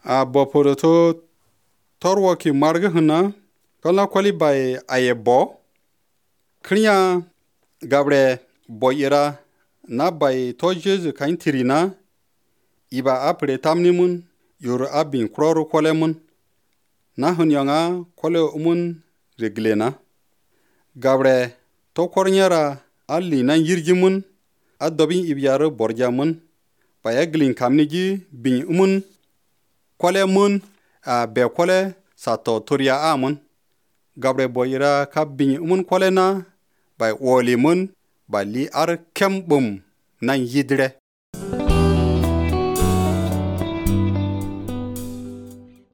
A boporo to torwo ki marga huna kala kwali bai aye bo kriya gabre boyira na bai to jesu kain tirina iba apre tamni mun yor abin kroro kwale mun na hunyanga kwale umun reglena gabre to kornyara alli nan yirgi mun adobin ibyaro borja mun baya glin kamnigi bin umun kwale mun a be kwale sato turya amun gabre boyira ka bin umun kwale na bai woli mun ba li ar kem bum nan yidre